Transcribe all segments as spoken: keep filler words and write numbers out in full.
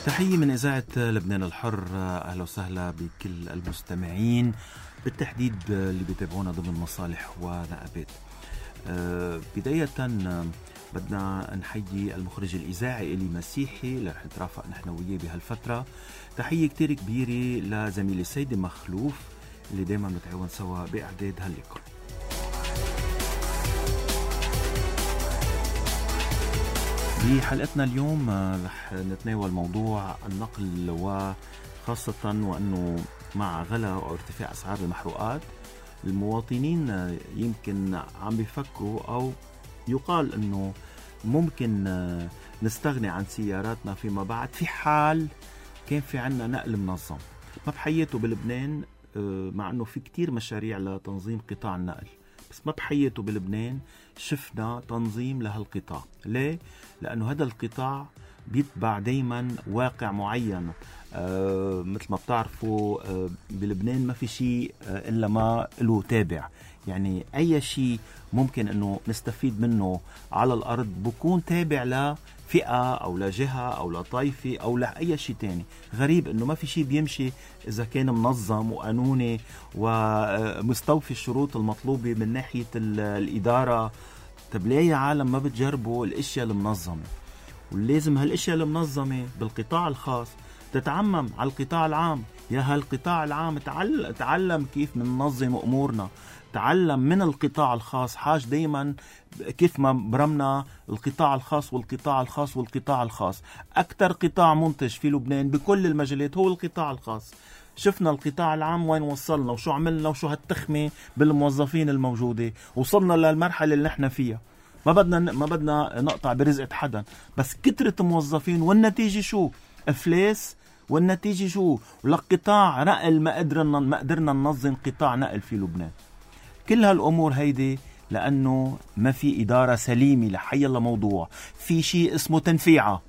تحية من إذاعة لبنان الحر. أهلا وسهلا بكل المستمعين، بالتحديد اللي بيتابعونا ضمن مصالح ونقابات. أه بداية بدنا نحيي المخرج الإذاعي إلي مسيحي اللي رح نترافق نحن وياه بهالفترة. تحية كتير كبيرة لزميلي سيدي مخلوف اللي دايما نتعاون سوا بإعداد هاللقاء. بحلقتنا اليوم رح نتناول موضوع النقل، وخاصة وأنه مع غلا أو ارتفاع أسعار المحروقات المواطنين يمكن عم بيفكروا أو يقال أنه ممكن نستغني عن سياراتنا فيما بعد في حال كان في عنا نقل منظم. ما بحياته بلبنان مع أنه في كتير مشاريع لتنظيم قطاع النقل، بس ما بحياته بلبنان شفنا تنظيم لهالقطاع. ليه؟ لأنه هذا القطاع بيتبع دايما واقع معين. آه مثل ما بتعرفوا آه بلبنان ما في شيء آه إلا ما له تابع، يعني أي شيء ممكن أنه نستفيد منه على الأرض بكون تابع لفئة أو لجهة أو لطائفة أو لأي شيء تاني. غريب أنه ما في شيء بيمشي إذا كان منظم وقانوني ومستوفي الشروط المطلوبة من ناحية الإدارة. طب ليه يا عالم ما بتجربوا الاشياء المنظمة؟ ولازم هالاشياء المنظمة بالقطاع الخاص تتعمم على القطاع العام. يا هالقطاع العام تعلم, تعلم كيف مننظم امورنا، تعلم من القطاع الخاص. حاج دايما كيف ما برمنا القطاع الخاص والقطاع الخاص والقطاع الخاص. اكتر قطاع منتج في لبنان بكل المجالات هو القطاع الخاص. شفنا القطاع العام وين وصلنا وشو عملنا وشو هالتخمة بالموظفين الموجودة. وصلنا للمرحلة اللي نحن فيها. ما بدنا ما بدنا نقطع برزقة حدا، بس كترة موظفين والنتيجة شو؟ افلاس. والنتيجة شو؟ ولك قطاع نقل ما قدرنا ما قدرنا ننظم قطاع نقل في لبنان. كل هالأمور هيدي لأنه ما في إدارة سليمة لحي الله موضوع. في شيء اسمه تنفيعة،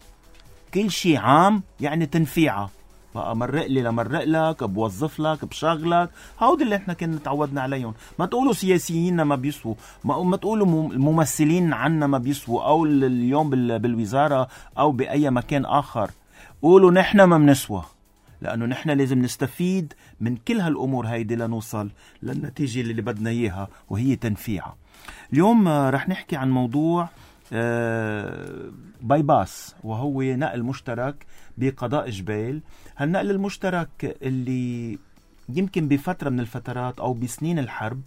كل شيء عام يعني تنفيعة. بقى مرق لي لمرق لك، بوظف لك، بشغلك. هودي اللي احنا كنا تعودنا عليهم. ما تقولوا سياسيين ما بيسووا، ما, ما تقولوا ممثلين عنا ما بيسووا، او اليوم بالوزارة او بأي مكان آخر. قولوا نحن ما بنسوى، لأنه نحن لازم نستفيد من كل هالأمور هيدي لنوصل للنتيجة اللي بدنا إياها، وهي تنفيعة. اليوم رح نحكي عن موضوع باي باس، وهو نقل مشترك بقضاء جبيل. هالنقل المشترك اللي يمكن بفترة من الفترات أو بسنين الحرب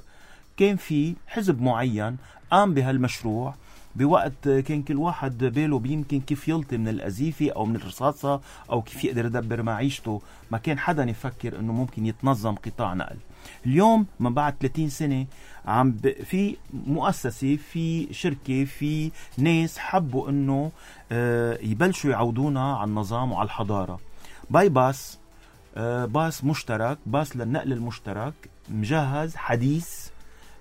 كان في حزب معين قام بهالمشروع بوقت كان كل واحد باله بيمكن كيف يلطي من الأزيفة أو من الرصاصة أو كيف يقدر يدبر معيشته. ما كان حدا يفكر أنه ممكن يتنظم قطاع نقل. اليوم من بعد ثلاثين سنة عم ب... في مؤسسة، في شركة، في ناس حبوا أنه آه يبلشوا يعودونا على النظام وعلى الحضارة. باي باس، آه باس مشترك، باس للنقل المشترك مجهز حديث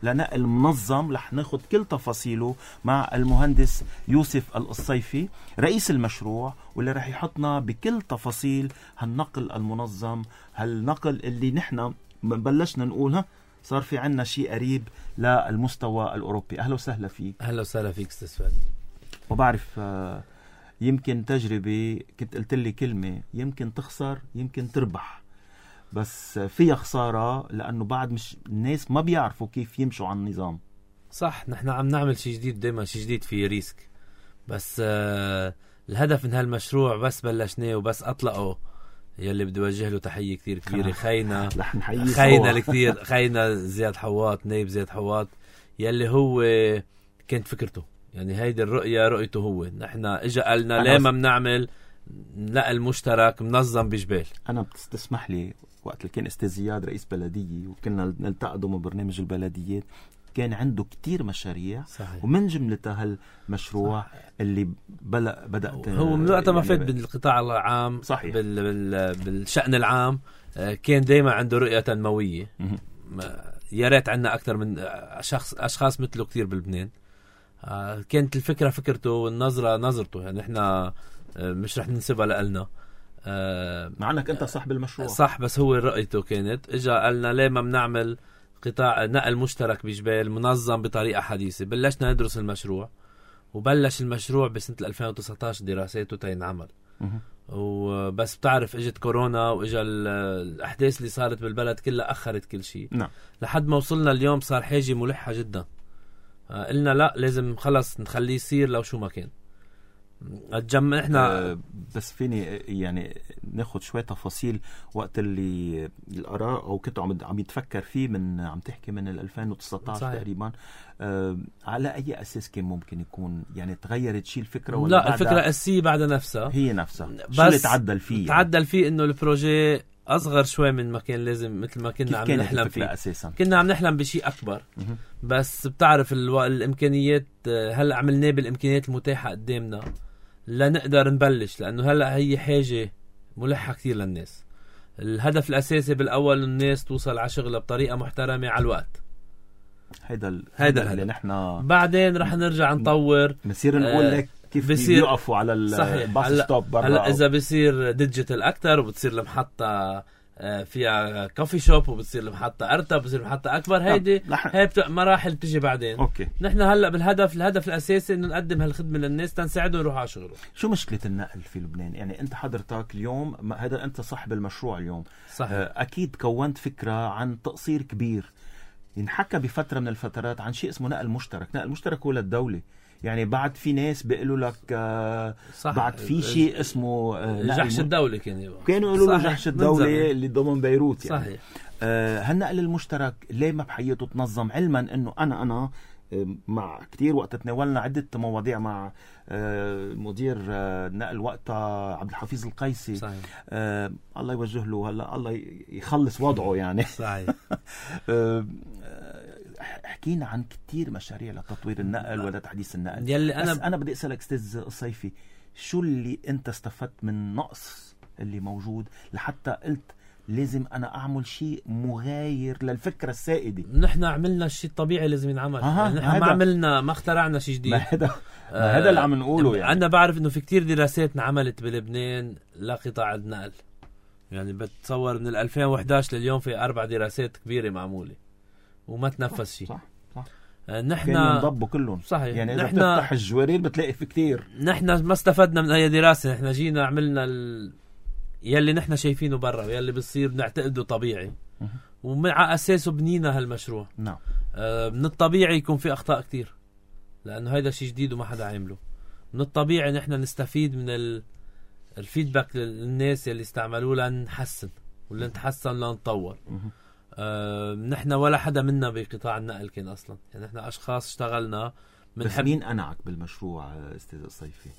لنقل منظم. رح ناخد كل تفاصيله مع المهندس يوسف القصيفي رئيس المشروع، واللي رح يحطنا بكل تفاصيل هالنقل المنظم، هالنقل اللي نحن بلشنا نقولها صار في عنا شيء قريب للمستوى الأوروبي. أهلا وسهلا فيك. أهلا وسهلا فيك أستاذ فادي. وبعرف يمكن تجربة كنت قلت لي كلمة، يمكن تخسر يمكن تربح، بس فيها خسارة لأنه بعد مش الناس ما بيعرفوا كيف يمشوا على النظام. صح، نحن عم نعمل شيء جديد، دايما شيء جديد فيه ريسك. بس آه الهدف من هالمشروع بس بلشناه وبس أطلقه يلي بدي وجه له تحية كتير كبيرة. خينا خينا الكثير خينا زياد حواط، نايب زياد حواط، يلي هو كانت فكرته، يعني هيدي الرؤية رؤيته هو. نحن اجا قالنا ليه ما بنعمل نقل مشترك منظم بجبال. أنا بتسمح لي وقت اللي كان أستاذ زياد رئيس بلدية وكنا نلتقى ضمن برنامج البلديات، كان عنده كتير مشاريع. صحيح. ومن جملتها هالمشروع صح. اللي بلأ بدأت هو من وقت ما فات بالقطاع العام. صحيح. بال بال بالشأن العام كان دايما عنده رؤية تنموية. يا ريت عنا أكثر من شخص أشخاص مثله كتير بلبنان. كانت الفكرة فكرته والنظرة نظرته، يعني إحنا مش رح ننسبها لقلنا. مع أنك أنت صاحب المشروع. صح، بس هو رؤيته كانت إجا قالنا ليه ما بنعمل قطاع نقل مشترك بجبال منظم بطريقة حديثة. بلشنا ندرس المشروع، وبلش المشروع بسنة ألفين وتسعة عشر دراساته تينعمل. وبس بتعرف اجت كورونا واجا الاحداث اللي صارت بالبلد كلها اخرت كل شيء. نعم. لحد ما وصلنا اليوم صار حاجه ملحه جدا. قلنا لا لازم خلص نخليه يصير لو شو ما كان. اتجمع احنا أه بس فيني يعني ناخد شوية تفاصيل وقت اللي الآراء او كنت عم عم يتفكر فيه من عم تحكي من ألفين وتسعطعش تقريبا. أه على اي اساس كان ممكن يكون يعني تغيرت شيء الفكرة ولا لا الفكرة الأساسية بعدها نفسها هي نفسها شو اللي تعدل فيه؟ تعدل يعني؟ فيه انه البروجي اصغر شوي من ما كان لازم مثل ما كنا عم نحلم فيه أساساً. كنا عم نحلم بشيء اكبر م- بس بتعرف الو... الامكانيات هلا عملناه بالامكانيات المتاحة قدامنا لا نقدر نبلش لانه هلا هي حاجة ملحة كثير للناس. الهدف الاساسي بالاول الناس توصل على شغلها بطريقة محترمة على الوقت. هيدا ال... هيدا اللي نحن بعدين رح نرجع نطور بنصير نقول لك آه كيف بيوقفوا على الباص ستوب برا. هلا اذا بيصير ديجيتال اكتر وبتصير المحطة فيها كوفي شوب وبتصير المحطة ارتب بتصير المحطة اكبر. هيدي هي بت... مراحل بتجي بعدين. اوكي. نحن هلا بالهدف الهدف الاساسي انه نقدم هالخدمة للناس تنساعدهم يروحوا على شغلهم. شو مشكلة النقل في لبنان؟ يعني انت حضرتك اليوم هذا انت صاحب المشروع اليوم. صحيح. اكيد كونت فكرة عن تقصير كبير. ينحكى بفترة من الفترات عن شيء اسمه نقل مشترك. نقل مشترك هو للدولة. يعني بعد في ناس بيقولوا لك آه بعد في شيء اسمه آه جحش الدولة كانوا كانوا يقولوا له جحش الدولة اللي ضمن بيروت يعني. صحيح. آه هالنقل المشترك ليه ما بحيته تنظم علما انه انا انا مع كتير وقت تناولنا عدة مواضيع مع آه مدير آه نقل وقتها عبد الحفيظ القيسي. صحيح. آه الله يوجه له هلا الله يخلص وضعه يعني. صحيح. آه حكينا عن كتير مشاريع لتطوير النقل ولا تحديث النقل. يلي أنا بس أنا بدي أسألك أستاذ الصيفي شو اللي أنت استفدت من نقص اللي موجود لحتى قلت لازم أنا أعمل شيء مغاير للفكرة السائدة؟ نحن عملنا الشيء الطبيعي لازم ينعمل. يعني نحن ما عملنا ما اخترعنا شيء جديد. ما هذا ما هذا اللي عم نقوله يعني. أنا بعرف إنه في كتير دراسات انعملت بلبنان لقطاع النقل. يعني بتصور من ألفين وإحدى عشر لليوم في أربع دراسات كبيرة معمولة وما تنفذ شيء. صح صح. نحن نضبوا كلهم. صحيح. يعني إذا بتفتح الجوارير بتلاقي في كتير. نحن ما استفدنا من أي دراسة. نحن جينا عملنا ال... يلي نحن شايفينه برا ويلي بصير نعتقده طبيعي ومع أساسه بنينا هالمشروع. نعم. آه من الطبيعي يكون في أخطاء كتير لأنه هيدا شيء جديد وما حدا عامله. من الطبيعي نحن نستفيد من ال... الفيدباك للناس يلي استعملوه لنحسن ولا نتحسن لنطور. آه، نحن ولا حدا منا بقطاع النقل كان أصلا. يعني نحن أشخاص اشتغلنا من بس حب... مين أنعك بالمشروع أستاذ الصيفي؟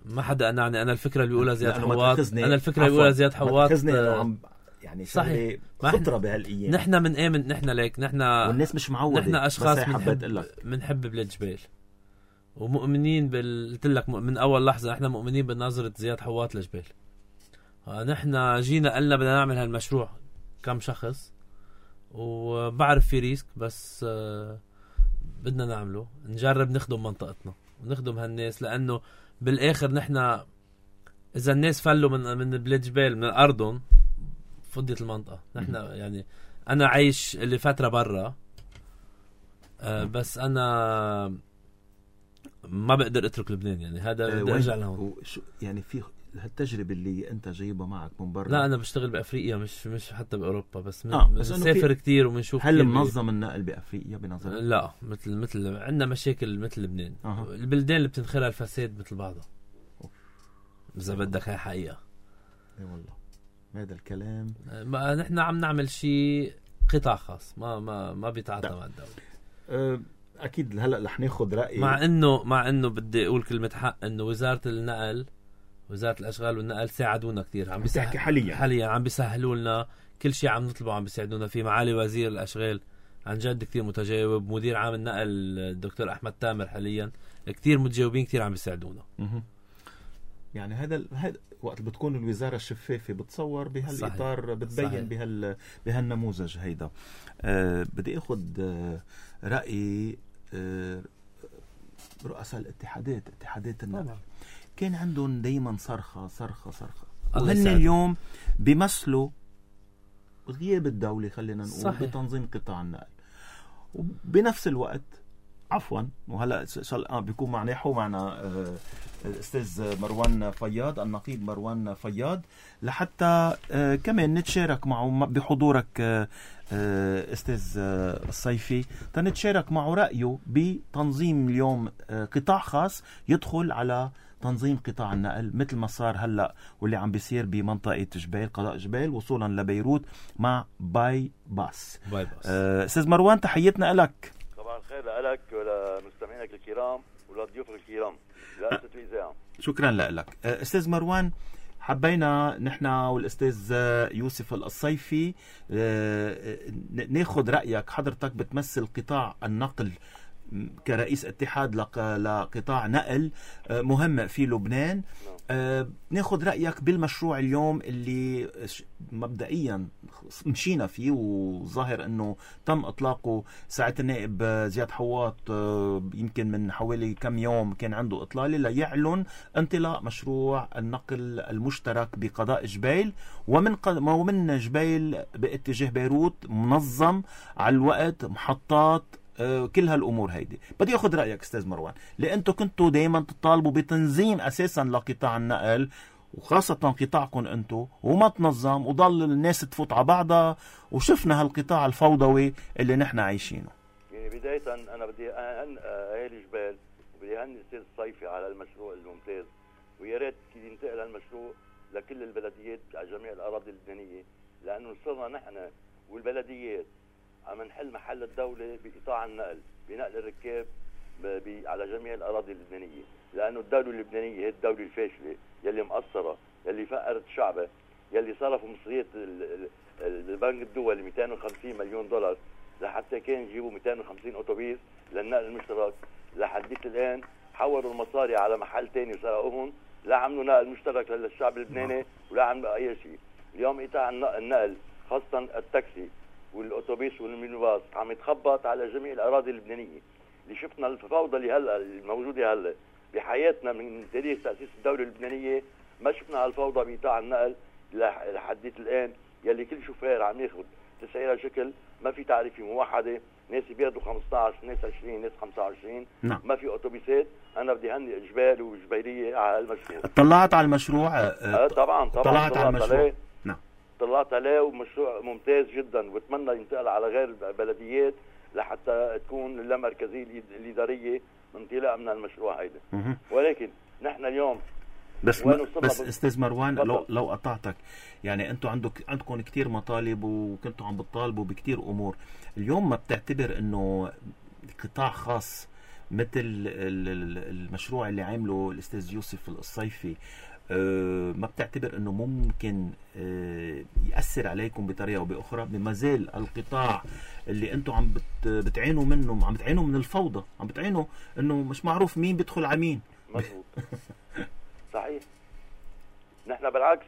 ما حدا أنعني. أنا الفكرة اللي بيقولها زياد حواط. أنا الفكرة اللي بيقولها زياد حواط آه... يعني صحيح خطرة بهالأيام. نحن من آمن نحن ليك نحن والناس مش معودة. نحن أشخاص منحب منحب بلاد جبال ومؤمنين بال قلت لك من أول لحظة نحن مؤمنين بنظرة زياد حواط لجبال. آه نحن جينا قلنا بدنا نعمل هالمشروع كم شخص وبعرف في ريسك بس آه بدنا نعمله نجرب نخدم منطقتنا ونخدم هالناس لأنه بالآخر نحن إذا الناس فلوا من من بلاد جبال من الأردن فضيت المنطقة. نحن يعني أنا عايش اللي فترة برا آه بس أنا ما بقدر أترك لبنان. يعني هذا بدي أرجع لهون. يعني في هالتجربة اللي أنت جايبها معك من برا. لا أنا بشتغل بأفريقيا مش مش حتى بأوروبا بس, آه بس بنسافر كتير وبنشوف. هل منظم النقل بأفريقيا بنظرك؟ لا مثل مثل عندنا مشاكل مثل لبنان. أه. البلدان اللي بتنخرها الفساد مثل بعضها. إذا بدك هاي حقيقة. اي والله هذا الكلام. ما نحن عم نعمل شيء قطاع خاص ما ما ما بيتعاطى مع الدولة. أه أكيد هلا رح ناخذ رأي. مع إنه مع إنه بدي أقول كلمة حق إنه وزارة النقل وزارة الأشغال والنقل ساعدونا كتير. عم بيسهل حاليا حاليا عم بيسهلوا لنا كل شيء عم نطلبه عم بيساعدونا فيه. معالي وزير الأشغال عن جد كتير متجاوب. مدير عام النقل الدكتور أحمد تامر حاليا كتير متجاوبين كتير عم بيساعدونا. يعني هذا هذا وقت بتكون الوزارة الشفافة بتصور بهالإطار بتبين بهال بهالنموذج هيدا. أه بدي أخذ أه رأي أه رؤساء الاتحادات اتحادات النقل. كان عندهم دايما صرخة صرخة صرخة وهن اليوم بيمثلوا غياب الدولة خلينا نقول. صحيح. بتنظيم قطاع النقل وبنفس الوقت عفوا. وهلا اه بيكون معنا يحو معنا آه الاستاذ مروان فياض، النقيب مروان فياض، لحتى آه كمان نتشارك معه بحضورك آه آه استاذ آه الصيفي، تنتشارك معه رأيه بتنظيم اليوم آه قطاع خاص يدخل على تنظيم قطاع النقل، مثل ما صار هلا واللي عم بيصير بمنطقه جبال قضاء جبال وصولا لبيروت مع باي باس. باي باس. آه استاذ مروان، تحياتنا لك. طبعا خير لك ولمستمعينك الكرام ولضيوفك الكرام لأسة الإذاعة. شكرا لك استاذ مروان. حبينا نحن والاستاذ يوسف الصيفي ناخذ رايك. حضرتك بتمثل قطاع النقل كرئيس اتحاد لقطاع نقل مهم في لبنان. أه ناخذ رأيك بالمشروع اليوم اللي مبدئيا مشينا فيه وظاهر انه تم اطلاقه ساعة النائب زياد حواط، أه يمكن من حوالي كم يوم كان عنده اطلالة ليعلن انطلاق مشروع النقل المشترك بقضاء جبيل ومن ومن جبيل باتجاه بيروت، منظم على الوقت، محطات، كل هالامور هيدي. بدي اخذ رايك استاذ مروان، لانتم كنتوا دائما تطالبوا بتنظيم اساسا لقطاع النقل وخاصه قطاعكم انتم، وما تنظم وضل الناس تفوت على بعضها، وشفنا هالقطاع الفوضوي اللي نحن عايشينه. يعني بدايه انا بدي اهن اهالي جبال وبدي اهني الاستاذ الصيفي على المشروع الممتاز، ويا ريت ينتقل هالمشروع لكل البلديات على جميع الاراضي اللبنانيه، لانه صرنا نحن والبلديات عم نحل محل الدولة بقطاع النقل، بنقل الركاب على جميع الأراضي اللبنانية، لأنه الدولة اللبنانية هي الدولة الفاشلة يلي مقصرة، يلي فقرت شعبها، يلي صرفوا مصريات البنك الدولي مئتين وخمسين مليون دولار لحتى كان يجيبوا مئتين وخمسين أوتوبيس للنقل المشترك. لحديت الآن حولوا المصاري على محل تاني وسرقوهم، لا عملوا نقل مشترك للشعب اللبناني ولا عملوا أي شيء. اليوم قطاع النقل خاصة التاكسي والأوتوبيس والمينيباص عم يتخبط على جميع الأراضي اللبنانية. اللي شفنا الفوضى اللي هلا الموجودة هلا بحياتنا من تاريخ تأسيس الدولة اللبنانية، ما شفنا هالفوضى بقطاع النقل لحديت الآن، يلي كل شوفير عم ياخذ تسعيرة شكل، ما في تعريفة موحدة، ناس بياخذوا خمسة عشر، ناس عشرين، ناس خمسة وعشرين، نعم. ما في أوتوبيسات. أنا بدي هني جبال وجبيلية على المشروع. طلعت على المشروع؟ أه طبعا طبعا طلعت, طلعت على المشروع عليه. نعم طلعت عليه، ومشروع ممتاز جدا، وبتمنى ينتقل على غير بلديات لحتى تكون اللامركزية الإدارية انطلاقا من المشروع هيدا. ولكن نحن اليوم بس بس استاذ مروان، لو لو قطعتك، يعني انتم عندك عندكم كثير مطالب وكنتوا عم بتطالبوا بكثير امور. اليوم ما بتعتبر انه قطاع خاص مثل المشروع اللي عامله الاستاذ يوسف الصيفي أه ما بتعتبر انه ممكن أه يأثر عليكم بطريقه او باخرى؟ بما زال القطاع اللي انتم عم بت بتعينوا منه، عم بتعينوا من الفوضى، عم بتعينوا انه مش معروف مين بيدخل على مين. مظبوط. صحيح. نحن بالعكس،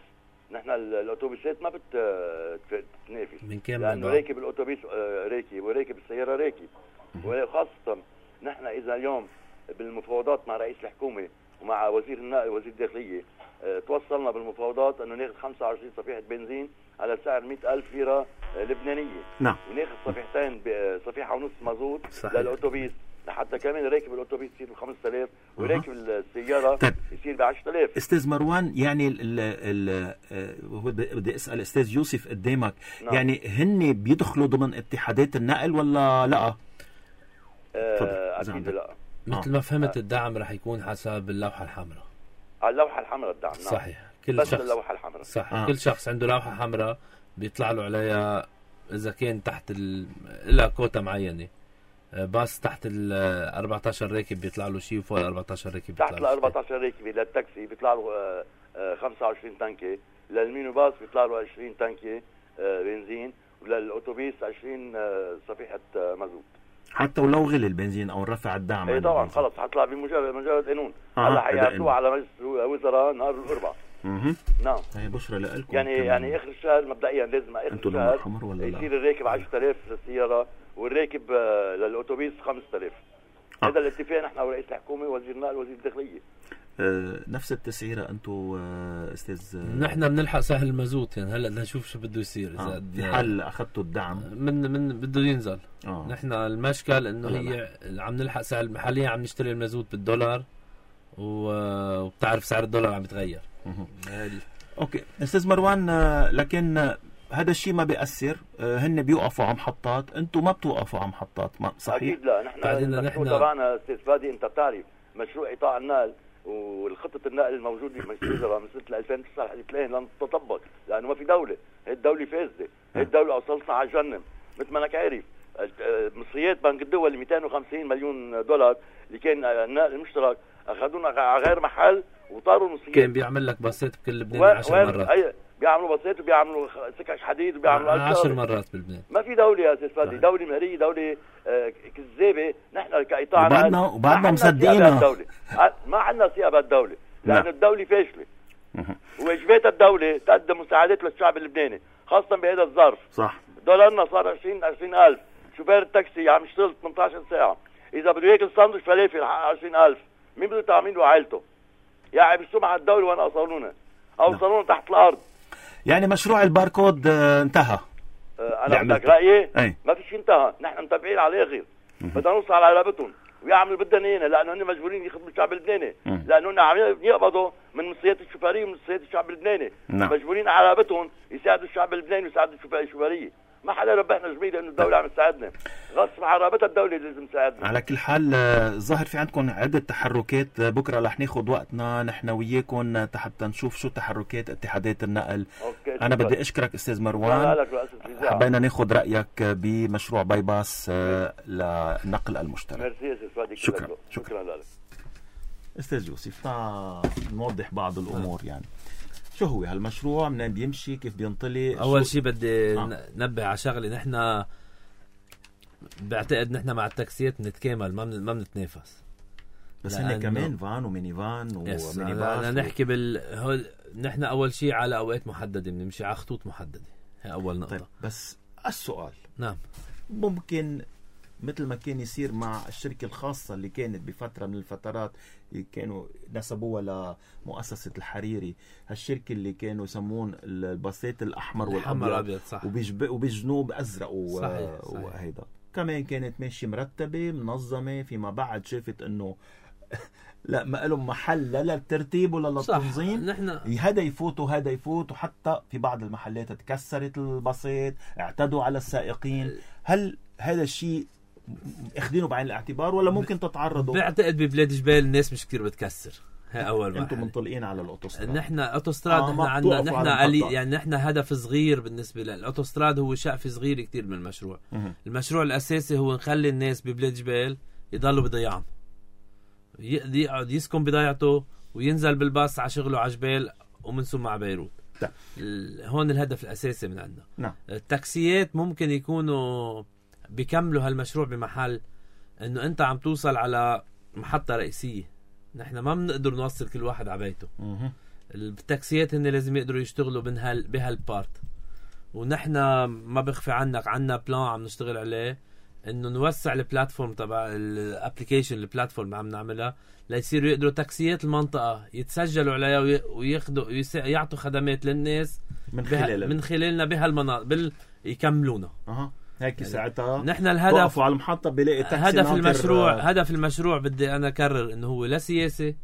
نحن الاوتوبيسات ما بتتنافس، من كام لانه راكب الاوتوبيس راكب وراكب السياره راكب. وخاصه نحن اذا اليوم بالمفاوضات مع رئيس الحكومه ومع وزير النقل ووزير الداخليه اه توصلنا بالمفاوضات انه ناخذ خمسة وعشرين صفيحه بنزين على سعر مئة ألف ليره لبنانيه. نعم. وناخذ صفيحتين صفيحه ونص مازوت للاوتوبيس، لحتى كمان راكب الاوتوبيس يصير ب خمسة آلاف وراكب السياره طيب. يصير ب عشرة آلاف. استاذ مروان، يعني ال ال بدي اسال استاذ يوسف قدامك، نعم. يعني هن بيدخلوا ضمن اتحادات النقل ولا لا؟ آه اكيد لا. مثل ما فهمت الدعم رح يكون حسب اللوحه الحمراء. على اللوحه الحمراء الدعم. نعم. صحيح. كل بس شخص اللوحه الحمراء. صح. آه. كل شخص عنده لوحه حمراء بيطلع له عليها اذا كان تحت ال... لها كوتا معينه. باص تحت ال أربعة عشر راكب بيطلع له شيء، وفوق ال أربعة عشر راكب بيطلع له تحت ال أربعة عشر راكب للتاكسي بيطلع له خمسة وعشرين تنكه، للمينيباص بيطلع له عشرين تنكه بنزين، وللاوتوبيس عشرين صفيحه مازوت. حتى ولو غلي البنزين او رفع الدعم؟ اي طبعا خلص حطلع بمجرد مجرد قانون. هلا حيعرضوه على مجلس الوزراء نهار الاربعاء. اها نعم. هي بشرى لكم. يعني كمان. يعني اخر الشهر مبدئيا لازم اخر الشهر يصير الراكب عشرة آلاف للسياره والراكب للاوتوبيس خمسة آلاف. آه. هذا الاتفاق نحن ورئيس الحكومه ووزير النقل ووزير الداخليه. آه نفس التسعيره انتم آه استاذ؟ نحن بنلحق سهل المازوت يعني هلا بدنا نشوف شو بده يصير اذا آه. في حال اخذتوا الدعم من من بده ينزل. آه. نحن المشكل انه هي عم نلحق سهل، حاليا عم نشتري المازوت بالدولار وبتعرف سعر الدولار عم يتغير. اوكي استاذ مروان، لكن هذا الشيء ما بيأثر، هن بيوقفوا على محطات، انتم ما بتوقفوا على محطات، ما صحيح؟ اكيد لا. نحن المشروع تبعنا استاذ فادي انت بتعرف مشروع قطاع النقل والخطه النقل الموجوده مشروعها من سنه ألفين وتسعة لحد الآن لن تطبق لانه ما في دوله، هي الدوله فاسده، هي الدوله اوصلتنا على جهنم مثل ما انك عارف. مصريات بنك الدول مئتين وخمسين مليون دولار اللي كان النقل المشترك اخذونا على غير محل وطاروا المصريات. كان بيعمل لك باصات بكل لبنان عشر مرات. أي بيعملوا باصات وبيعملوا سكك حديد وبيعملوا عشر مرات بلبنان. ما في دوله يا استاذ فادي، دوله مهريه، دوله آه كذابه. نحن كقطاع وبعدنا وبعدنا مصدقينها، ما عندنا ثقه بالدوله لانه الدوله فاشله. وواجبات الدوله تقدم مساعدات للشعب اللبناني خاصه بهذا الظرف. صح. دولارنا صار عشرين عشرين ألف، شوفير التاكسي عم يشتغل ثمانية عشر ساعه، اذا بده ياكل ساندويتش فلافل عشرين ألف، مين بده يطعمين له عائلته؟ يعني بيسمع الدوله وانا اوصلونا اوصلونا تحت الارض. يعني مشروع الباركود آه انتهى. آه انا بدك رايي؟ أي. ما في شيء انتهى، نحن متابعين على الاخر، بدنا نوصل على رقبتهم ويعملوا بدنا ايانا لانه هن مجبورين يخدموا الشعب اللبناني، لانه هن عم يقبضوا من مصريات الشوفيريه ومن مصريات الشعب اللبناني. نعم. مجبورين على رقبتهم يساعدوا الشعب اللبناني ويساعدوا الشوفيريه. ما حدا ربحنا جميل لانه الدوله عم تساعدنا، غصب عن رابطه الدوله لازم تساعدنا. على كل حال ظاهر في عندكم عده تحركات، بكره رح ناخذ وقتنا نحن وياكم حتى نشوف شو تحركات اتحادات النقل. أوكي. انا بدي اشكرك استاذ مروان، حبينا ناخذ رايك بمشروع باي باس للنقل المشترك. ميرسي استاذ فادي. شكرا شكرا لك استاذ يوسف. نوضح بعض الامور يعني شو هو هالمشروع، منين بيمشي، كيف بينطلق. اول شيء بدي آه. ننبه على شغله، نحن بعتقد نحن مع التاكسيات بنتكامل، ما ما بنتنافس، بس هن كمان فان وميني فان وميني باص. انا نحكي بال هول نحن اول شيء على اوقات محدده، بنمشي على خطوط محدده، هي اول نقطه. طيب بس السؤال، نعم، ممكن مثل ما كان يصير مع الشركة الخاصة اللي كانت بفترة من الفترات كانوا نسبوها لمؤسسة الحريري، هالشركة اللي كانوا يسمون الباصات الأحمر والأبيض وبجنوب أزرق وهيدا كمان كانت ماشية مرتبة منظمة، فيما بعد شافت أنه لا ما لهم محل لا للترتيب ولا للتنظيم، نحن هذا يفوت وهذا يفوت، وحتى في بعض المحلات تكسرت الباصات، اعتدوا على السائقين. هل هذا الشيء اخذينه بعين الاعتبار ولا ممكن تتعرضوا؟ بعتقد ببلاد جبال الناس مش كتير بتكسر، هي اول ما انتم منطلقين على الاوتوستراد. نحن اوتوستراد آه نحن عندنا نحن علي يعني نحن هدف صغير بالنسبه للاوتوستراد، هو شقف صغير كتير من المشروع. م- المشروع الاساسي هو نخلي الناس ببلاد جبال يضلوا بضيعهم، يقعد يسكن بضيعته وينزل بالباص على شغله على جبال ومن ثم على بيروت. ده. هون الهدف الاساسي من عندنا. نعم. التاكسيات ممكن يكونوا بيكملوا هالمشروع بمحل انه انت عم توصل على محطة رئيسية، نحن ما بنقدر نوصل كل واحد على بيته. التاكسيات هن لازم يقدروا يشتغلوا بهال بهالبارت، ونحن ما بخفي عنك عنا بلان عم نشتغل عليه انه نوسع البلاتفورم تبع الابليكيشن، البلاتفورم عم نعملها ليصيروا يقدروا تاكسيات المنطقة يتسجلوا عليها وياخذوا يعطوا خدمات للناس من خلال من خلالنا بهالمناطق بال يكملونا. أه. هيك يعني ساعتها نحن الهدف على المحطة بلاقي تاكسي هدف المشروع آه. هدف المشروع بدي انا اكرر انه هو لا سياسي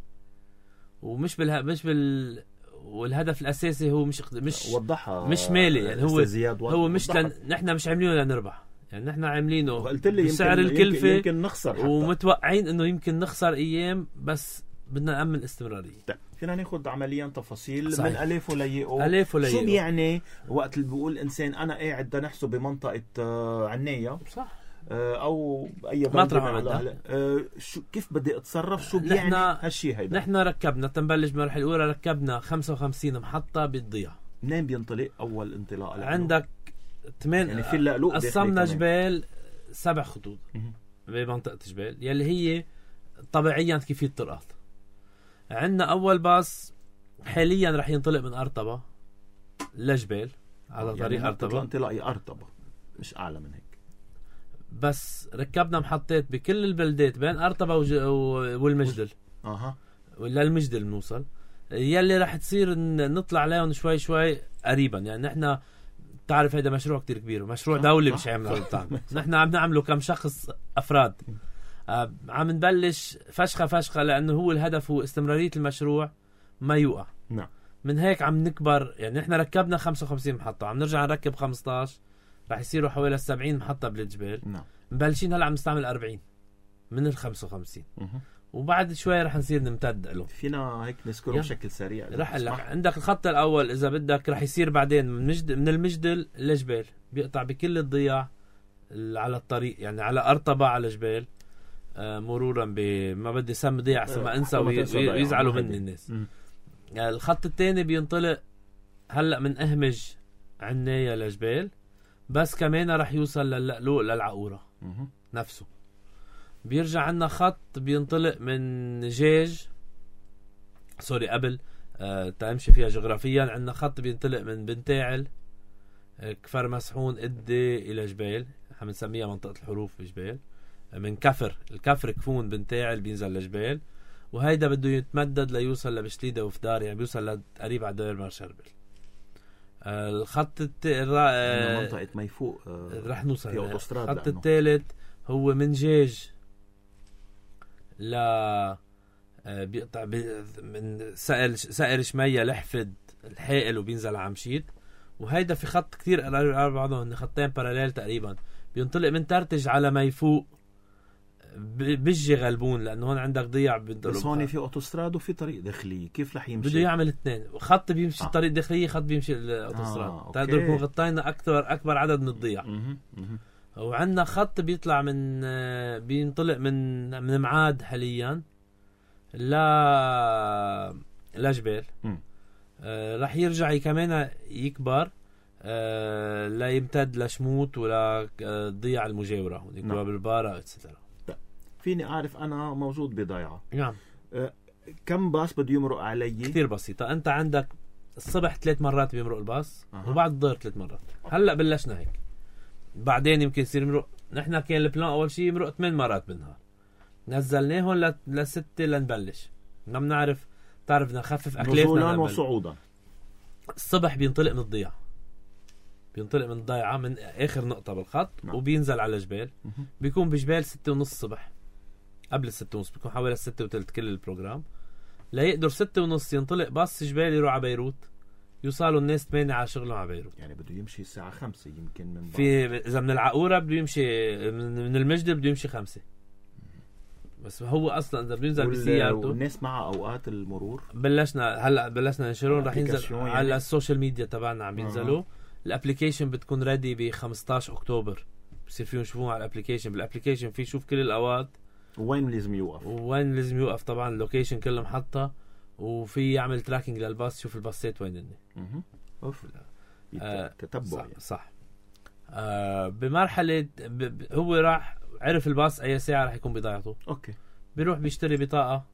ومش بالها مش بال والهدف الاساسي هو مش مش وضحها مش مالي، يعني هو هو مش لن... نحن مش عاملينه لنربح، يعني نحن عاملينه بسعر الكلفة، يمكن, يمكن نخسر حتى. ومتوقعين انه يمكن نخسر ايام، بس بدنا نأمن استمرارية. فينا ناخد عمليا تفاصيل صحيح. من ألف وليئو. ألف وليئو شو بيعني وقت اللي بيقول إنسان أنا قاعد دا نحسه بمنطقة عناية صح أو أي مطرح ما أه شو كيف بدي أتصرف، شو بيعني هالشيء هيدا؟ نحن ركبنا تنبلش بالمرحلة الأولى ركبنا خمسة وخمسين محطة بتضيع. منين بينطلق أول انطلاق؟ عندك ثمان يعني في اللقلوق قسمنا جبال سبع خطوط بمنطقة جبال يلي هي طبيعيا كيف الطرقات. عندنا أول باص حاليا رح ينطلق من أرطبة لجبال على يعني طريق أرطبة، انطلاقي أرطبة مش أعلى من هيك، بس ركبنا محطات بكل البلدات بين أرطبة وج... والمجدل. أها ولا المجدل بنوصل، يلي رح تصير نطلع عليهم شوي شوي قريبا. يعني نحن تعرف هيدا مشروع كتير كبير، مشروع دولي مش عامل نحن عم نعمله كم شخص أفراد. آه عم نبلش فشخة فشخة لأنه هو الهدف هو استمرارية المشروع ما يوقع. نعم. من هيك عم نكبر. يعني نحن ركبنا خمسة وخمسين محطة، عم نرجع نركب خمستاشر، رح يصيروا حوالي سبعين محطة بالجبال. نعم. مبلشين هلا عم نستعمل أربعين من ال خمسة وخمسين، وبعد شوي رح نصير نمتد له. فينا هيك نذكره بشكل سريع. رح لك عندك الخط الأول إذا بدك رح يصير بعدين من, مجد من المجدل لجبال، بيقطع بكل الضياع على الطريق، يعني على أرطبة على جبال، آه مرورا ب ما بدي سم ضيع عشان ما انسى ويزعلوا مني الناس. يعني الخط الثاني بينطلق هلا من أهمج عناية لجبال، بس كمان رح يوصل للقلوق للعقورة نفسه. بيرجع عنا خط بينطلق من جيج سوري قبل آه تمشي فيها جغرافيا. عنا خط بينطلق من بنتاعل آه كفر مسحون إدي إلى جبال، عم نسميها منطقة الحروف بجبال. آه من كفر الكفر كفون بنتاعل بينزل لجبال، وهيدا بده يتمدد ليوصل لبشليدة وفدار، يعني بيوصل قريب على دير مرشربل. آه الخط الت... آه منطقة ميفوق آه رح نوصل في أوتوستراد. الخط الثالث هو من جيج لا آه بيقطع بي... من سائر سائر شمية لحفد الحائل وبينزل على عمشيت. وهيدا في خط كتير قريب على بعضهم، خطين باراليل تقريبا، بينطلق من ترتج على ميفوق بيجي غلبون، لانه هون عندك ضياع. بس هون في اوتوستراد وفي طريق داخلي، كيف رح يمشي؟ بده يعمل اثنين، خط بيمشي الطريق آه. الداخلي، خط بيمشي الاوتوستراد. آه. تقدر نكون غطينا اكثر اكبر عدد من الضياع. وعندنا خط بيطلع من بينطلق من من معاد حاليا لا لجبال. آه رح يرجع كمان يكبر آه لا يمتد لشموت ولا آه ضياع المجاورة هون نعم. بالبارة اتسترا. فيني أعرف أنا موجود بضيعة. نعم. أه كم باص بده يمرق علي؟ كثير بسيطة. أنت عندك الصبح ثلاث مرات بيمرق الباص أه. وبعد الظهر ثلاث مرات. هلأ بلشنا هيك، بعدين يمكن يصير يمرق. نحن كان البلان أول شيء يمرق ثمان مرات بالنهار، نزلناهم لستة لنبلش. ما بنعرف، تعرف بدنا نخفف أكلافنا نزولا وصعودا. الصبح بينطلق من الضيعة، بينطلق من الضيعة من آخر نقطة بالخط نعم. وبينزل على جبال. بيكون بجبال ستة ونص الصبح، قبل الستة ونص بيكون حوالي الستة وثلث كل البروجرام. لا يقدر ستة ونص ينطلق باص جبال يروح على بيروت، يوصلوا الناس ثمانية على شغلهم على بيروت. يعني بده يمشي الساعة خمسة يمكن من في إذا من العقورة بده يمشي من المجد بده يمشي خمسة. بس هو أصلا إذا بينزل بسيارته. والناس مع أوقات المرور بلشنا هلا بلشنا ننشرون، رح ينزل يعني على السوشيال ميديا تبعنا عم بينزلوا. آه. الابليكيشن بتكون ريدي ب خمستاشر أكتوبر، بصير فيهم يشوفوها على الابليكيشن. بالابليكيشن في شوف كل الأوقات وين لازم يوقف وين لازم يوقف. طبعا اللوكيشن كله محطة، وفي يعمل تراكنج للباص، شوف الباصات وين هن. اها اوف آه تتبع صح, يعني. صح. آه بمرحلة ب... ب... هو راح عرف الباص أي ساعة رح يكون بضاعته. اوكي. بيروح بيشتري بطاقة،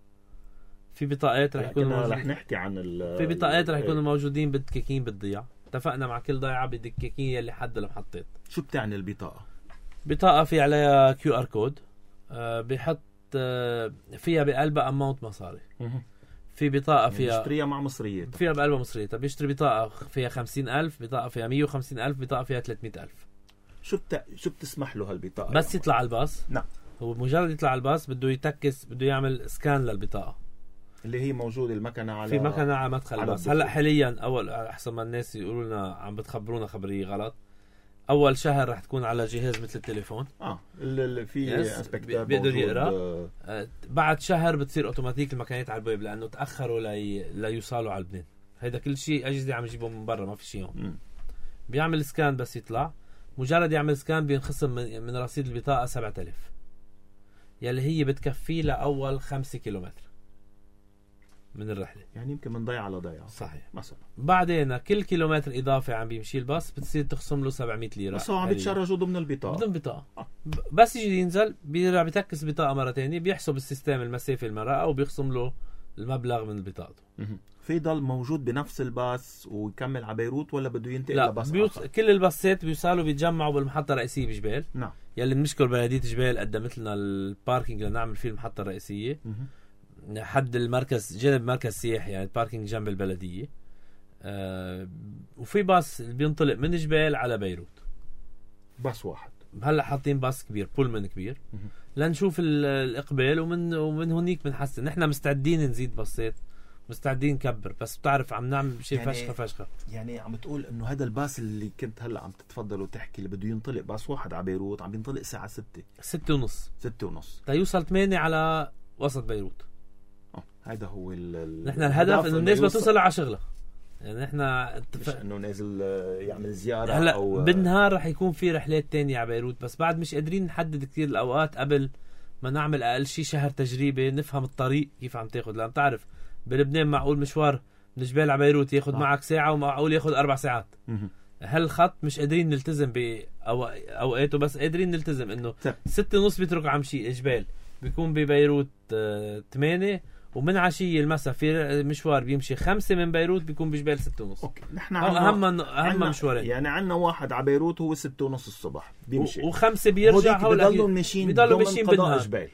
في بطاقات رح يكونوا موجودين. رح نحكي عن ال في بطاقات رح يكونوا موجودين بالدكاكين بالضياع. اتفقنا مع كل ضيعة بالدكاكين اللي حد المحطات. شو بتعني البطاقة؟ بطاقة في عليها كيو ار كود، آه بيحط آه فيها بقلبها اماونت مصاري. في بطاقة فيها يعني بيشتريها مع مصريات، فيها بقلبها مصريات. بيشتري بطاقة فيها خمسين ألف، بطاقة فيها مية وخمسين ألف، بطاقة فيها ثلاثمية ألف. شو بت... شو بتسمح له هالبطاقة؟ بس يطلع على الباص. نعم. هو مجرد يطلع على الباص بده يتكس، بده يعمل سكان للبطاقة اللي هي موجودة المكنة على في مكنة على مدخل الباص. هلا حاليا أول أحسن ما الناس يقولوا لنا عم بتخبرونا خبرية غلط، أول شهر رح تكون على جهاز مثل التليفون. اه اللي في اسبكتات بيقدر يقرا. آه بعد شهر بتصير اوتوماتيك المكانات على الباب، لانه تاخروا لي... ليوصلوا على لبنان. هيدا كل شيء اجهزه عم يجيبهم من برا، ما في شيء هون. بيعمل سكان بس يطلع. مجرد يعمل سكان بينخصم من, من رصيد البطاقه سبعة آلاف، يلي هي بتكفي لاول خمسة كيلومتر من الرحله. يعني يمكن من ضيعه لضيعه. صحيح. مثلا بعدين كل كيلومتر اضافي عم بيمشي الباص بتصير تخصم له سبعمية ليره. بس هو عم بيتشرجوا ضمن البطاقه ضمن بطاقه. آه. بس يجي ينزل بيرجع بيتكس بطاقه مره ثانيه، بيحسب السيستم المسافه المرأة وبيخصم له المبلغ من بطاقته. في ضل موجود بنفس الباص ويكمل على بيروت، ولا بده ينتقل لباص بيوص... آخر؟ كل الباصات بيوصلوا بيتجمعوا بالمحطه الرئيسيه بجبال. نعم. يلي بنشكر بلديه جبال قدمت لنا الباركينج لنعمل فيه المحطه الرئيسيه. حد المركز جنب مركز سياحي يعني باركينج جنب البلدية. آه وفي باص بينطلق من جبال على بيروت، باص واحد. هلا حاطين باص كبير بولمان كبير لنشوف الإقبال، ومن ومن هونيك بنحسن. نحن مستعدين نزيد باصات، مستعدين نكبر، بس بتعرف عم نعمل شيء يعني فشخة فشخة. يعني عم تقول انه هذا الباص اللي كنت هلا عم تتفضل وتحكي اللي بده ينطلق باص واحد على بيروت عم ينطلق الساعة ستة ستة ونص ستة ونص تيوصل ثمانية على وسط بيروت. اه هذا هو ال نحن الهدف انه الناس بتوصل على شغلها. يعني احنا مش انه نازل يعمل زيارة. هلا أو بالنهار رح يكون في رحلات تانية على بيروت، بس بعد مش قادرين نحدد كتير الأوقات قبل ما نعمل أقل شي شهر تجريبة نفهم الطريق كيف عم تاخد. لأن تعرف بلبنان معقول مشوار من جبال على بيروت ياخد آه. معك ساعة، ومعقول ياخد أربع ساعات. هالخط مش قادرين نلتزم بأوقاته، بس قادرين نلتزم إنه ستة ونص بيترك عم شي جبال بيكون ببيروت ثمانية، ومن عشية المسا في مشوار بيمشي خمسة من بيروت بيكون بجبال ستة ونص. اوكي نحن اهم اهم مشوارين يعني عنا واحد على بيروت هو ستة ونص الصبح بيمشي، وخمسة بيرجع. بيضلوا ماشيين بيضلوا ماشيين بالنهار.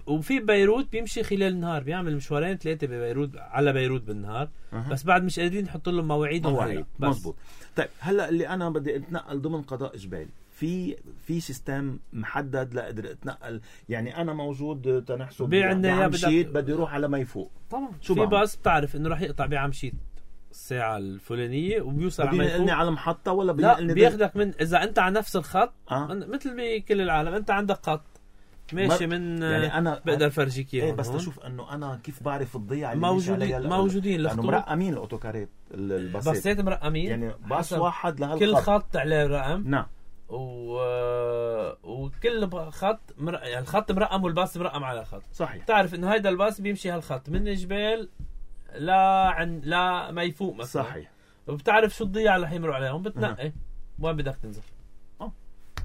وفي بيروت بيمشي خلال النهار، بيعمل مشوارين ثلاثة ببيروت على بيروت بالنهار. أه. بس بعد مش قادرين نحط لهم مواعيد مواعيد. مزبوط. طيب هلا اللي انا بدي اتنقل ضمن قضاء جبال، في في سيستم محدد لاقدر اتنقل؟ يعني انا موجود تنحسب بعمشيت بدي اروح على ما يفوق طبعا شو في باص بتعرف انه راح يقطع بعمشيت الساعه الفلانيه وبيوصل على ما يفوق. بدي على محطه ولا لا بياخدك من اذا انت على نفس الخط. أه؟ مثل بكل العالم انت عندك خط ماشي من يعني انا بقدر فرجيك اياه. ايه بس تشوف انه انا كيف بعرف الضيعه اللي موجودين موجودين لانه مرقمين الاوتوكارات الباصات باصات مرقمين يعني باص واحد لهالخط كل خط عليه رقم. نعم. و... وكل خط مر... يعني الخط مرقم والباص مرقم على الخط. صحيح. تعرف انه هيدا الباص بيمشي هالخط من الجبال لا عن لا ما يفوق مثلا. صحيح. وبتعرف شو الضيعه اللي حيمروا عليهم بتنقي أه. وين بدك تنزل. اه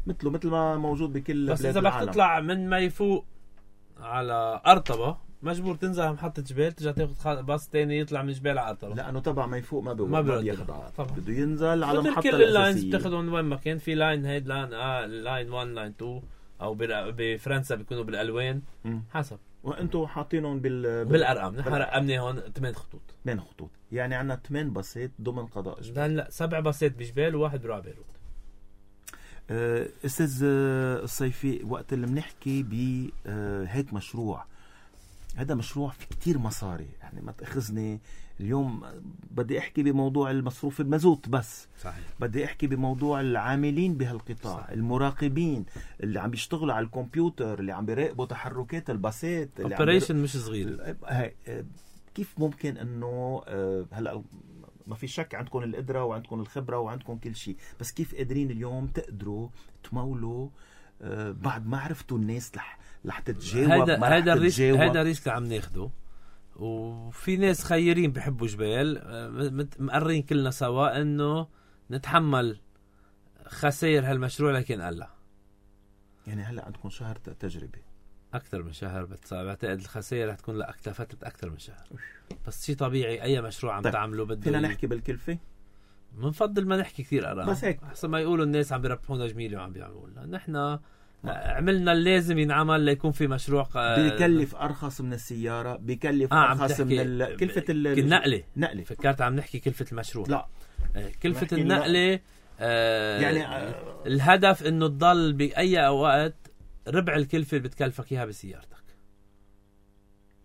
مثله مثل ما موجود بكل بس اذا بدك تطلع من ما يفوق على أرطبة مجبور تنزل على محطة جبال ترجع تاخذ باص تاني يطلع من جبال على أرطبة، لأنه تبع ما يفوق ما بيوقف ما, ما بياخد بده ينزل على محطة كل اللاينز بتاخذهم وين ما كان. في لاين هيد لاين آه لاين واحد لاين اثنين أو بفرنسا بيكونوا بالألوان م. حسب. وأنتوا حاطينهم بال بالأرقام. نحن رقمنا هون ثمان خطوط ثمان خطوط يعني عنا ثمان باصات ضمن قضاء جبال. لا سبع باصات بجبال وواحد بروح بيروت. أستاذ الصيفي وقت اللي بنحكي بهيك مشروع، هذا مشروع في كتير مصاري يعني ما تأخذني اليوم بدي احكي بموضوع المصروف المازوت بس. صحيح. بدي احكي بموضوع العاملين بهالقطاع. صحيح. المراقبين اللي عم بيشتغلوا على الكمبيوتر اللي عم بيراقبوا تحركات الباصات اوبريشن مش صغير. كيف ممكن انه هلا ما في شك عندكم القدرة وعندكم الخبرة وعندكم كل شيء، بس كيف قادرين اليوم تقدروا تمولوا بعد ما عرفتوا الناس لح رح تتجاوب؟ هيدا هيدا الريسك هيدا الريسك عم ناخده. وفي ناس خيرين بحبوا جبال مقررين كلنا سوا انه نتحمل خسائر هالمشروع لكن قلع. يعني هلا عندكم شهر تجربة اكثر من شهر، بعتقد الخسائر رح تكون لاكثر فتره اكثر من شهر. نعم. شيء طبيعي اي مشروع عم طيب. تعمله بده. فينا نحكي بالكلفة؟ بنفضل ما نحكي كثير ارقام، بس هيك احسن ما يقولوا الناس عم بيربحونا جميله وعم بيعملوا لنا. نحن عملنا اللازم ينعمل ليكون في مشروع ق... بيكلف ارخص من السياره، بيكلف آه ارخص من ال... كلفه النقله. نقله فكرت عم نحكي كلفه المشروع. لا كلفه النقله آه يعني آه الهدف انه تضل باي وقت ربع الكلفه اللي بتكلفك اياها بسيارتك.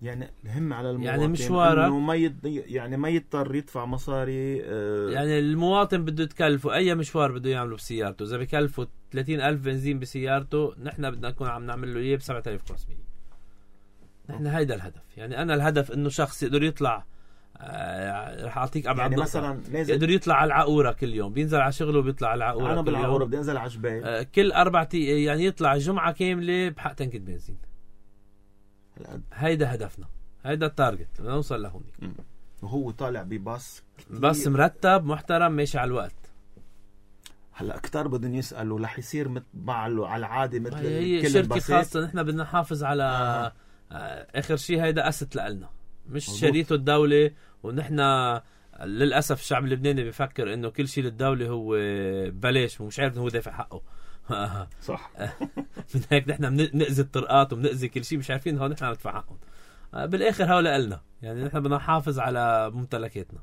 يعني الهم على المواطن يعني مشوارك انه ما يد... يعني ما يضطر يدفع مصاري. آه يعني المواطن بده يتكلفه اي مشوار بده يعمله بسيارته، اذا بكلفه ثلاثين ألف بنزين بسيارته نحن بدنا نكون عم نعمل له اياه ب سبعة آلاف وخمسمية. نحن هيدا الهدف. يعني انا الهدف انه شخص يقدر يطلع آه رح اعطيك ابعد يعني نقطة. مثلا نازل يقدر يطلع على العقوره كل يوم، بينزل على شغله وبيطلع على العقوره. انا بالعقوره بدي انزل على جبال آه كل اربع يعني يطلع جمعه كامله بحق تنكة بنزين. هيدا هدفنا، هيدا التارجت بدنا نوصل لهونيك. وهو طالع بباص بس مرتب محترم ماشي على الوقت. هلا اكثر بدهم يسالوا رح يصير مع على العاده مثل هي كل شركه خاصه. نحن بدنا نحافظ على آه. اخر شيء هيدا اسد لنا مش مزبوط. شريته الدوله. ونحن للاسف الشعب اللبناني بيفكر انه كل شيء للدوله هو ببلاش ومش عارف انه هو دافع حقه. صح. من هيك نحن بنأذي الطرقات وبنأذي كل شيء مش عارفين هون نحن عم ندفع حقهم. بالاخر هؤلاء قلنا يعني نحن بدنا نحافظ على ممتلكاتنا.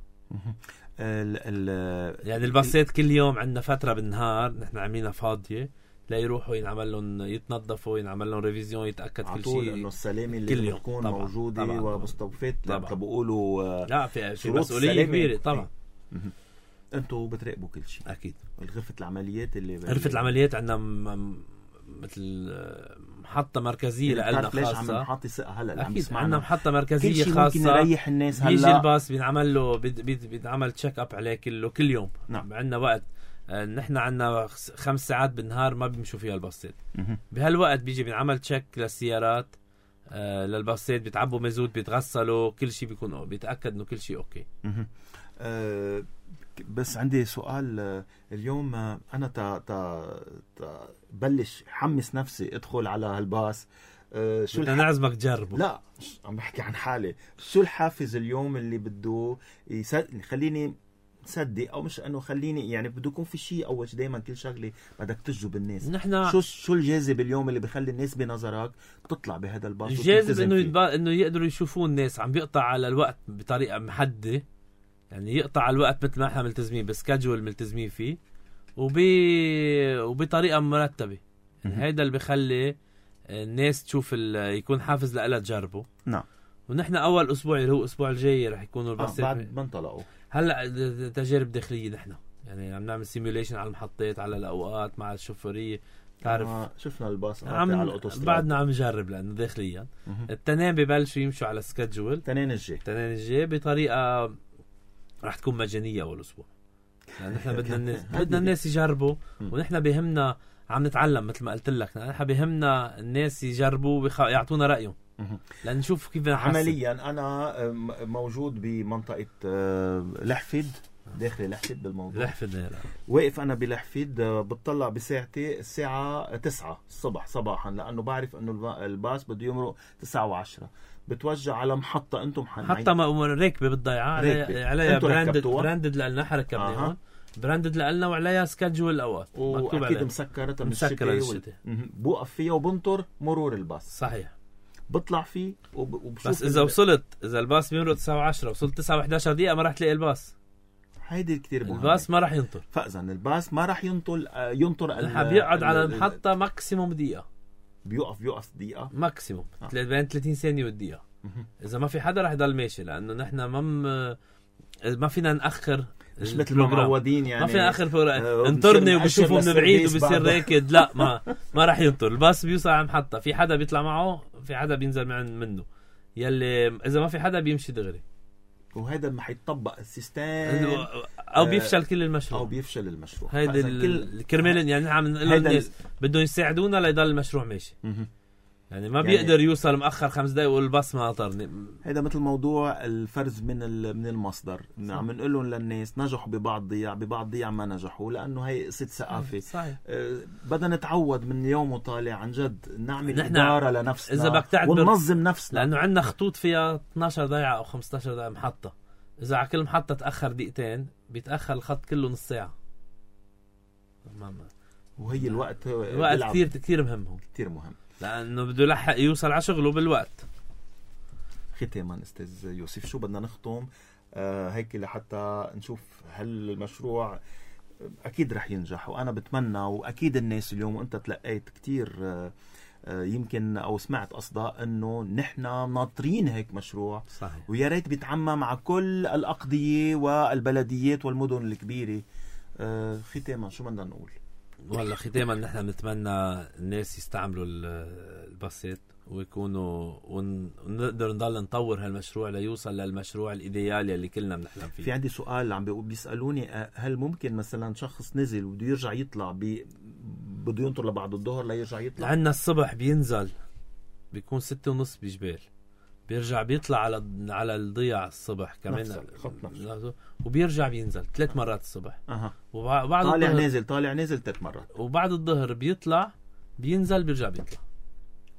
ال ال يعني الباصات كل يوم عندنا فتره بالنهار نحن عاملينها فاضيه لا يروحوا ينعمل لهم يتنظفوا ينعمل لهم ريفيزيون يتاكد كل شيء انه السلامه اللي بتكون طبعًا موجوده ومستوفاه بقولوا لا في في مسؤوليه كبيره طبعا. انتوا بتراقبوا كل شيء اكيد. غرفه العمليات اللي غرفه العمليات عندنا م... مثل محطه مركزيه لنا خاصه. محطه ثقه هلا اكيد عندنا محطه مركزيه خاصه ممكن يريح الناس. هلا بيجي الباص بينعمل له بينعمل تشيك اب عليه كله كل يوم. نعم. عندنا وقت نحن عندنا خمس ساعات بالنهار ما بيمشوا فيها الباصات. بهالوقت بيجي بينعمل تشيك للسيارات آه للباصات بيتعبوا مازوت بيتغسلوا كل شيء بيكون بيتاكد انه كل شيء اوكي. أه بس عندي سؤال اليوم. انا تا تا تا بلش حمس نفسي ادخل على هالباص. أه شو بدنا نعزمك تجربه؟ لا عم بحكي عن حالي. شو الحافز اليوم اللي بده يخليني صدق او مش انه خليني يعني بده يكون في شيء اول شيء دائما كل شغله بدك تجذب الناس. نحن شو شو الجاذب اليوم اللي بخلي الناس بنظرك تطلع بهذا الباص؟ الجاذب انه يتبا... انه يقدروا يشوفوا الناس عم بيقطع على الوقت بطريقه محدده يعني يقطع على الوقت مثل ما احنا ملتزمين بسكادجول ملتزمين فيه وبي... وبطريقه مرتبه. يعني هيدا اللي بخلي الناس تشوف ال... يكون حافز لها تجربه. نعم. ونحن اول اسبوع اللي هو الاسبوع الجاي رح يكونوا الباصات آه بعد ما انطلقوا هلا تجارب داخليه. نحن يعني عم نعمل سيميوليشن على المحطات على الاوقات مع الشوفيريه تعرف آه شفنا الباص عم على الاوتوستراد بعدنا عم نجرب لانه داخليا التنين ببلشوا يمشوا على سكادجول التنين الجاي التنين الجاي بطريقه رح تكون مجانيه اول اسبوع. يعني نحن بدنا الناس بدنا الناس يجربوا ونحن بهمنا عم نتعلم مثل ما قلت لك. نحن بهمنا الناس يجربوا ويخ... يعطونا رايهم لان نشوف كيف نحسن. عمليا انا موجود بمنطقه لحفد داخل لحفد بالموضوع لحفد واقف انا بلحفد بتطلع بساعتي الساعه تسعة الصبح صباحا لانه بعرف انه الباص بده يمرق تسعة وعشرة. بتوجه على محطه انتم حتى راكبه بالضيعه عليها براندد براندد لنا حركه آه. براندد لنا وعليها سكادجول الاوقات واكيد مسكره من الشتاء بوقف فيها وبنطر مرور الباص. صحيح. بطلع فيه وبشوف بس اذا وصلت اذا الباص بيمرق تسعة وعشرة وصلت تسعة وإحدى عشر دقيقه ما راح تلاقي الباص. هيدي كتير مهمه. الباص ما راح ينطر. فاذا الباص ما راح ينطر ينطر ال بيقعد على المحطه ماكسيموم دقيقه. بيوقف بيوقف دقيقه ماكسيموم آه. بين ثلاثين ثانيه والدقيقه. اذا ما في حدا راح يضل ماشي لانه نحن ما م... ما فينا ناخر مش مثل ما معودين يعني ما في اخر فور... انطرني وبشوفوا من بعيد وبصير راكد. لا ما ما راح ينطر. الباص بيوصل على المحطه في حدا بيطلع معه في حدا بينزل منه يلي اذا ما في حدا بيمشي دغري. وهذا ما حيطبق السيستم او بيفشل كل المشروع او بيفشل المشروع. هيدا الكرمال يعني عم نقول للناس بدهم يساعدونا ليضل المشروع ماشي. يعني ما يعني بيقدر يوصل مؤخر خمس دقايق والباص ما قطرني. هذا مثل موضوع الفرز من من المصدر. عم نقول لهم للناس نجحوا ببعض ضياع ببعض ضياع ما نجحوا لانه هي قصه ثقافه. صحيح. أه بدنا نتعود من اليوم وطالع عن جد نعمل اداره لنفسنا إذا بدك تعتبر وننظم نفسنا لانه عندنا خطوط فيها اثنعش دقيقه او خمسة عشر دقيقه محطه. اذا على كل محطه تاخر دقيقتين بيتاخر الخط كله نص ساعه. وهي الوقت الوقت كثير كثير مهم كثير مهم لانه بده يلحق يوصل على شغله بالوقت. ختاما استاذ يوسف شو بدنا نختم آه هيك لحتى نشوف هل المشروع اكيد رح ينجح وانا بتمنى واكيد الناس اليوم وانت تلقيت كتير آه آه يمكن او سمعت قصدا انه نحن ناطرين هيك مشروع. صحيح. ويا ريت بيتعمم مع كل الاقضيه والبلديات والمدن الكبيره. آه ختاما شو بدنا نقول؟ والله ختاما نحن بنتمنى الناس يستعملوا الباصات ويكونوا ونقدر نضل نطور هالمشروع ليوصل للمشروع الايديالي اللي كلنا بنحلم فيه. في عندي سؤال عم بيسالوني هل ممكن مثلا شخص نزل وبده يرجع يطلع بي بده ينطر لبعد الظهر ليرجع يطلع؟ عندنا الصبح بينزل بيكون ستة ونص بجبال بيرجع بيطلع على على الضياع الصبح كمان وبيرجع بينزل ثلاث مرات الصبح. اها وبعد طالع نازل طالع نازل ثلاث مرات وبعد الظهر بيطلع بينزل بيرجع بيطلع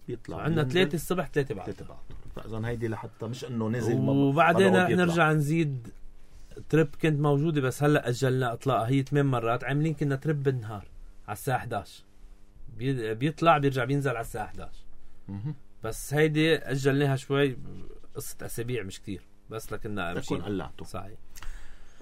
بيطلع عندنا ثلاثة الصبح ثلاثة بعد. فاذا هيدي لحتى مش انه نزل وبعدين رح نرجع نزيد تريب كنت موجوده بس هلا اجلنا اطلاقها هي ثمان مرات عاملين كنا تريب بالنهار على الساعه إحدى عشر بيطلع بيرجع بينزل على الساعه إحدى عشر. بس هيدي اجلناها شوي قصة أسابيع مش كتير بس لكننا تكون قلعته. صحيح.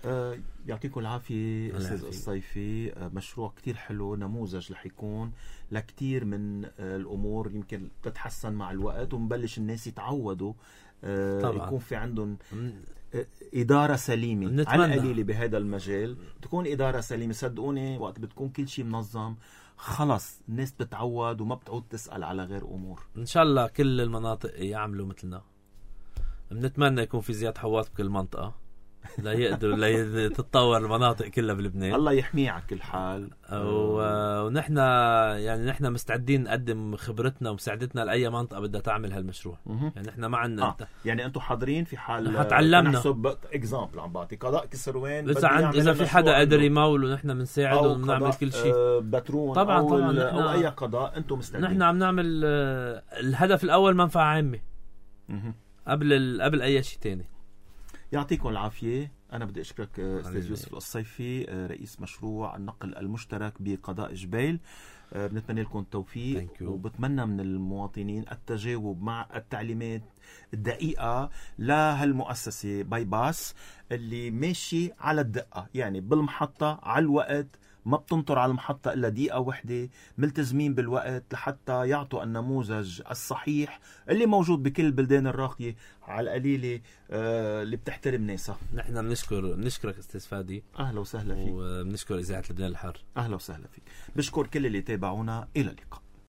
آه يعطيكم العافية أستاذ الصيفي. آه مشروع كتير حلو، نموذج رح يكون لكتير من آه الأمور يمكن تتحسن مع الوقت، ونبلش الناس يتعودوا آه طبعا. يكون في عندهم آه إدارة سليمة نتمنى. على القليلة بهذا المجال تكون إدارة سليمة. صدقوني وقت بتكون كل شيء منظم خلص الناس بتتعود وما بتعود تسأل على غير أمور. إن شاء الله كل المناطق يعملوا مثلنا. بنتمنى يكون في زياد حواط بكل منطقة لا يقدروا لا تتطور المناطق كلها بلبنان. الله يحميه على كل حال. ونحن يعني نحن مستعدين نقدم خبرتنا ومساعدتنا لأي منطقة بدها تعمل هالمشروع. يعني نحن معنا آه. يعني أنتم حاضرين في حال هتعلمنا. نحسب إكزامبل عم بعطي قضاء كسروان إذا عند إذا في حدا قادر يمول ونحن بنساعده ونعمل كل شيء. بترون طبعا أو, طبعا أو أي قضاء أنتم مستعدين. نحن عم نعمل الهدف الأول منفعة عامة قبل قبل أي شيء تاني. يعطيكم العافية. أنا بدي أشكرك أستاذ يوسف الصيفي رئيس مشروع النقل المشترك بقضاء جبيل. بنتمنى لكم التوفيق وبتمنى من المواطنين التجاوب مع التعليمات الدقيقة لهالمؤسسة باي باس اللي ماشي على الدقة، يعني بالمحطة على الوقت، ما بتنطر على المحطة إلا دقيقة واحدة، ملتزمين بالوقت لحتى يعطوا النموذج الصحيح اللي موجود بكل البلدان الراقية على القليلة آه اللي بتحترم ناسها. نحن بنشكر بنشكرك أستاذ فادي. أهلا وسهلا فيك. وبنشكر إذاعة لبنان الحر. أهلا وسهلا فيك. بشكر كل اللي تابعونا. إلى اللقاء.